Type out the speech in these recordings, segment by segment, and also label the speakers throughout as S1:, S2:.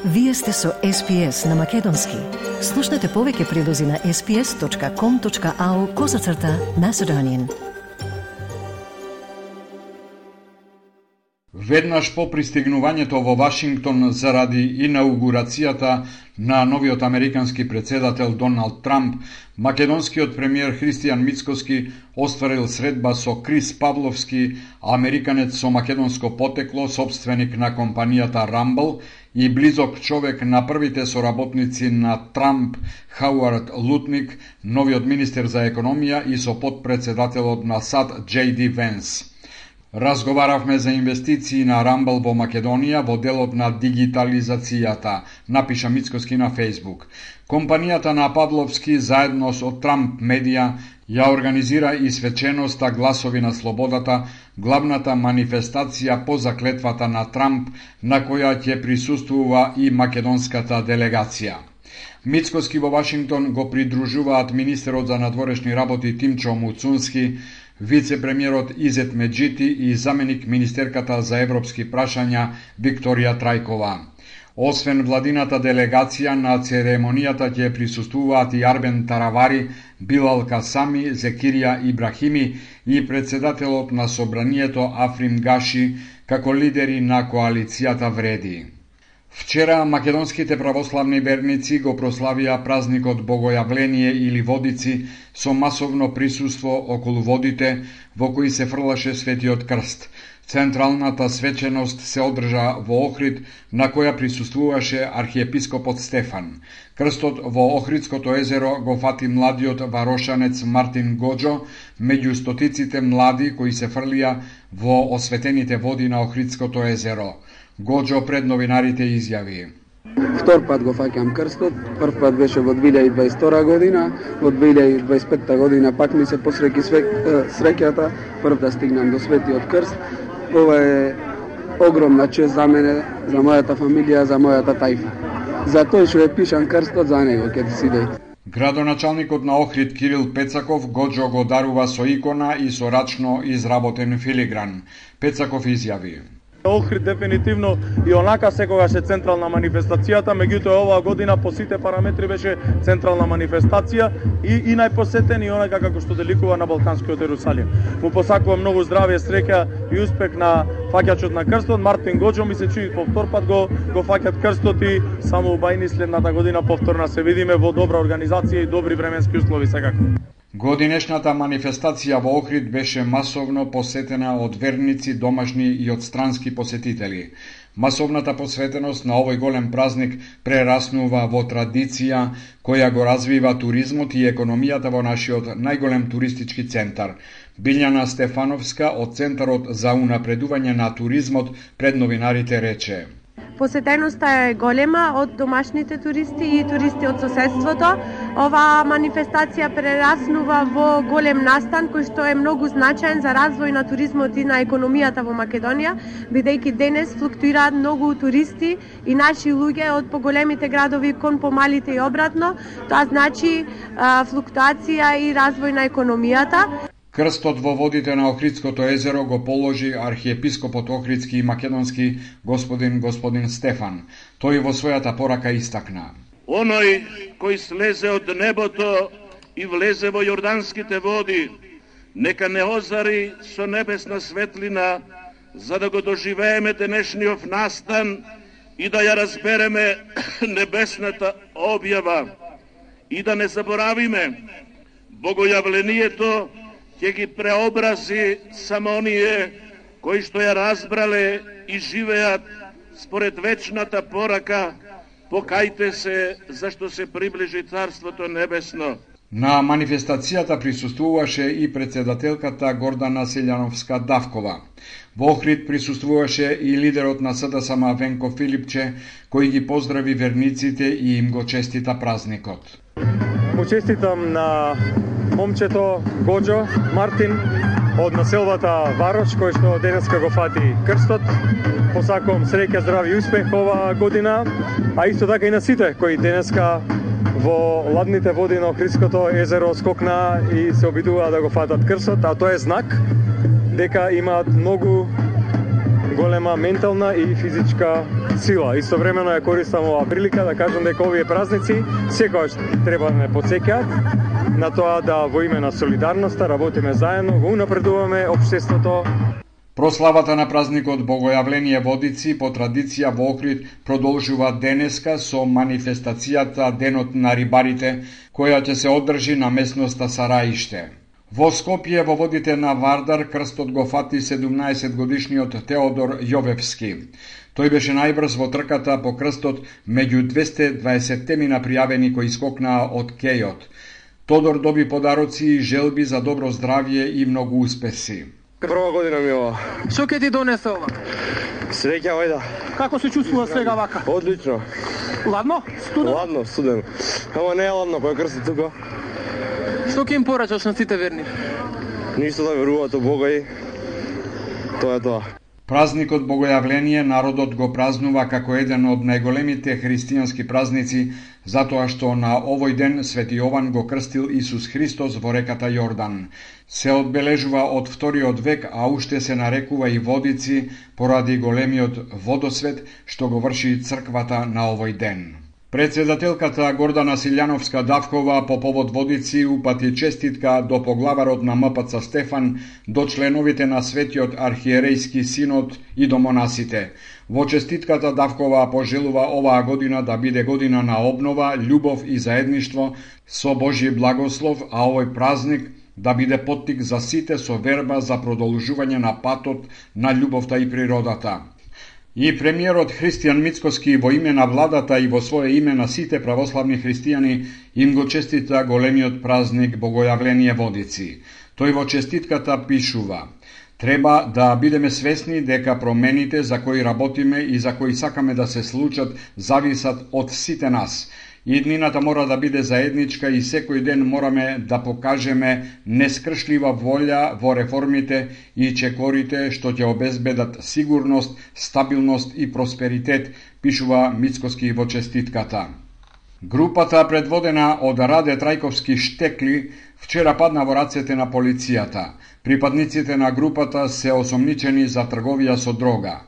S1: Вие сте со SPS на Македонски. Слушнете повеќе прилози на sps.com.au/Macedonian.
S2: Веднаш по пристигнувањето во Вашингтон заради инаугурацијата на новиот американски председател Доналд Трамп, македонскиот премиер Христијан Мицкоски остварил средба со Крис Павловски, американец со македонско потекло, собственик на компанијата Rumble и близок човек на првите соработници на Трамп, Хауард Лутник, новиот министер за економија и со потпредседателот на САД J.D. Венс. Разговаравме за инвестиции на Rumble во Македонија во делот на дигитализацијата, напиша Мицкоски на Facebook. Компанијата на Павловски заедно со Трамп Медија ја организира и свеченоста Гласови на слободата, главната манифестација по заклетвата на Трамп, на која ќе присуствува и македонската делегација. Мицкоски во Вашингтон го придружуваат министерот за надворешни работи Тимчо Муцунски, вице-премиерот Изет Меджити и заменик министерката за европски прашања Викторија Трајкова. Освен владината делегација на церемонијата ќе присуствуваат и Арбен Таравари, Билал Касами, Зекирија Ибрахими и председателот на собранието Африм Гаши, како лидери на коалицијата Вреди. Вчера македонските православни верници го прославија празникот Богојавление или Водици со масовно присуство околу водите во кои се фрлаше Светиот крст. Централната свеченост се одржа во Охрид, на која присуствуваше архиепископот Стефан. Крстот во Охридското езеро го фати младиот варошанец Мартин Гоџо меѓу стотиците млади кои се фрлија во осветените води на Охридското езеро. Гоџо пред новинарите изјави:
S3: Втор пат го фаќам крстот, прв пат беше во 2022 година, во 2025 година пак ми се посреќи среќата, прв да стигнам до Светиот крст. Ова е огромна чест за мене, за мојата фамилија, за мојата тајфа. За тој што е пишан крстот, за него ќе си дојде.
S2: Градоначалникот на Охрид Кирил Пецаков Гоџо го дарува со икона и со рачно изработен филигран. Пецаков изјави:
S4: Охрид дефинитивно и онака секогаш е централна манифестацијата, меѓутоа оваа година по сите параметри беше централна манифестација и најпосетен и онака како што деликува на Балканскиот Ерусалим. Му посакувам многу здравје, среќа и успех на фаќачот на крстот Мартин Гоџо, ми се чуи по втор пат го фаќат крстот и само убајни следната година повторно се видиме во добра организација и добри временски услови секако.
S2: Годинешната манифестација во Охрид беше масовно посетена од верници, домашни и од странски посетители. Масовната посветеност на овој голем празник прераснува во традиција која го развива туризмот и економијата во нашиот најголем туристички центар. Билјана Стефановска од Центарот за унапредување на туризмот пред новинарите рече:
S5: Посетеноста е голема од домашните туристи и туристи од соседството. Ова манифестација прераснува во голем настан кој што е многу значаен за развој на туризмот и на економијата во Македонија, бидејќи денес флуктуираат многу туристи и наши луѓе од поголемите градови кон помалите и обратно. Тоа значи флуктуација и развој на економијата.
S2: Крстот во водите на Охридското езеро го положи архиепископот Охридски и македонски господин Стефан. Тој во својата порака истакна:
S6: Оној кој слезе од небото и влезе во јорданските води, нека не озари со небесна светлина, за да го доживееме денешниот настан и да ја разбереме небесната објава и да не заборавиме Богојавлението ќе ги преобрази само оние кои што ја разбрале и живеат според вечната порака: покајте се, зашто се приближи Царството Небесно.
S2: На манифестацијата присуствуваше и председателката Гордана Селјановска-Давкова. Во Охрид присуствуваше и лидерот на СДСМ Венко Филипче, кој ги поздрави верниците и им го честита празникот.
S4: Му честитам на момчето Гоџо Мартин од населбата Варош, кој што денеска го фати крстот. Посакувам среќа, здравје и успех оваа година, а исто така и на сите кои денеска во ладните води на Охридското езеро скокна и се обидува да го фатат крстот, а тоа е знак дека имаат многу
S7: голема ментална и физичка сила. Истовремено ја користам оваа прилика да кажам дека овие празници секогаш треба да ме потсеќаат на тоа да во име на солидарноста работиме заедно, го унапредуваме општеството.
S2: Прославата на празникот Богојавление Водици по традиција во Охрид продолжува денеска со манифестацијата Денот на рибарите, која ќе се одржи на местноста Сараиште. Во Скопје, во водите на Вардар, крстот го фати 17-годишниот Теодор Јовевски. Тој беше најбрз во трката по крстот меѓу 220 пријавени кои скокнаа од кејот. Тодор доби подароци и желби за добро здравје и многу успеси.
S8: Прва година ми ова.
S9: Што ќе ти донесе ова?
S8: Среќа, вајда.
S9: Како се чувствува сега вака?
S8: Одлично.
S9: Ладно? Студено?
S8: Ладно, студено. Ама не е ладно, кој крстот тука.
S9: Што ќе им порачаш на сите верни?
S8: Ништо, да веруваат во Бога и тоа е тоа.
S2: Празникот Богојавление народот го празнува како еден од најголемите христијански празници, затоа што на овој ден Свети Јован го крстил Исус Христос во реката Јордан. Се одбележува од вториот век, а уште се нарекува и Водици поради големиот водосвет што го врши црквата на овој ден. Председателката Гордана Силјановска-Давкова по повод Водици упати честитка до поглаварот на МПЦ Стефан, до членовите на Светиот архиерејски синод и до монасите. Во честитката Давкова пожелува оваа година да биде година на обнова, љубов и заедништво со Божји благослов, а овој празник да биде поттик за сите со верба за продолжување на патот на љубовта и природата. И премиерот Христијан Мицкоски во име на владата и во свое име на сите православни христијани им го честита големиот празник Богојавление Водици. Тој во честитката пишува: треба да бидеме свесни дека промените за кои работиме и за кои сакаме да се случат зависат од сите нас. Иднината мора да биде заедничка и секој ден мораме да покажеме нескршлива волја во реформите и чекорите што ќе обезбедат сигурност, стабилност и просперитет, пишува Мицкоски во честитката. Групата предводена од Раде Трајковски Штекли вчера падна во рацете на полицијата. Припадниците на групата се осомничени за трговија со дрога.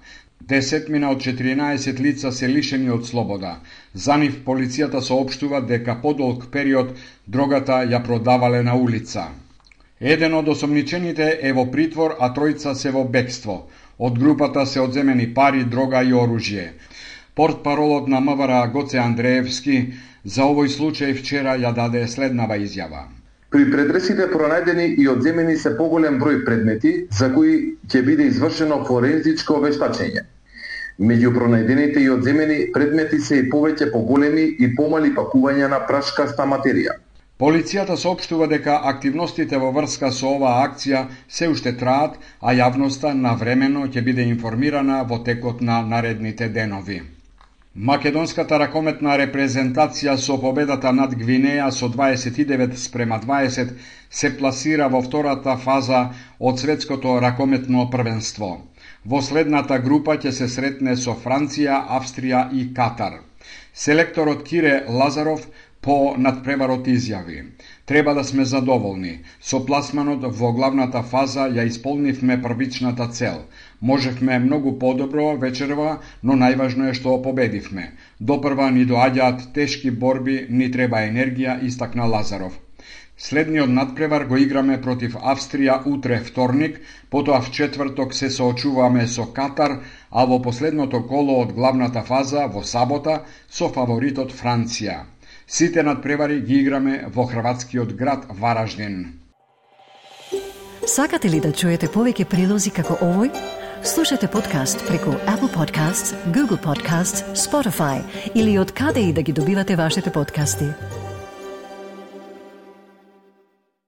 S2: 10 од 14 лица се лишени од слобода. За нив полицијата соопштува дека подолг период дрогата ја продавале на улица. Еден од осомничените е во притвор, а тројца се во бегство. Од групата се одземени пари, дрога и оружје. Портпаролот на МВР Гоце Андреевски за овој случај вчера ја даде следнава изјава.
S10: При претресите пронајдени и одземени се поголем број предмети за кои ќе биде извршено форензичко вештачење. Меѓу пронајдените и одземени предмети се и повеќе поголеми и помали пакувања на прашкаста материја.
S2: Полицијата соопштува дека активностите во врска со оваа акција се уште траат, а јавноста навремено ќе биде информирана во текот на наредните денови. Македонската ракометна репрезентација со победата над Гвинеја со 29-20 се пласира во втората фаза од светското ракометно првенство. Во следната група ќе се сретне со Франција, Австрија и Катар. Селекторот Кире Лазаров по надпреварот изјави: треба да сме задоволни. Со пласманот во главната фаза ја исполнивме првичната цел. Можевме многу подобро вечерва, но најважно е што победивме. Допрва ни доаѓаат тешки борби, ни треба енергија, истакна Лазаров. Следниот надпревар го играме против Австрија утре вторник, потоа в четврток се соочуваме со Катар, а во последното коло од главната фаза во сабота со фаворитот Франција. Сите надпревари ги играме во хрватскиот град Вараждин.
S1: Сакате ли да чуете повеќе прилози како овој? Слушате подкаст преку Apple Podcasts, Google Podcasts, Spotify или од каде и да ги добивате вашите подкасти.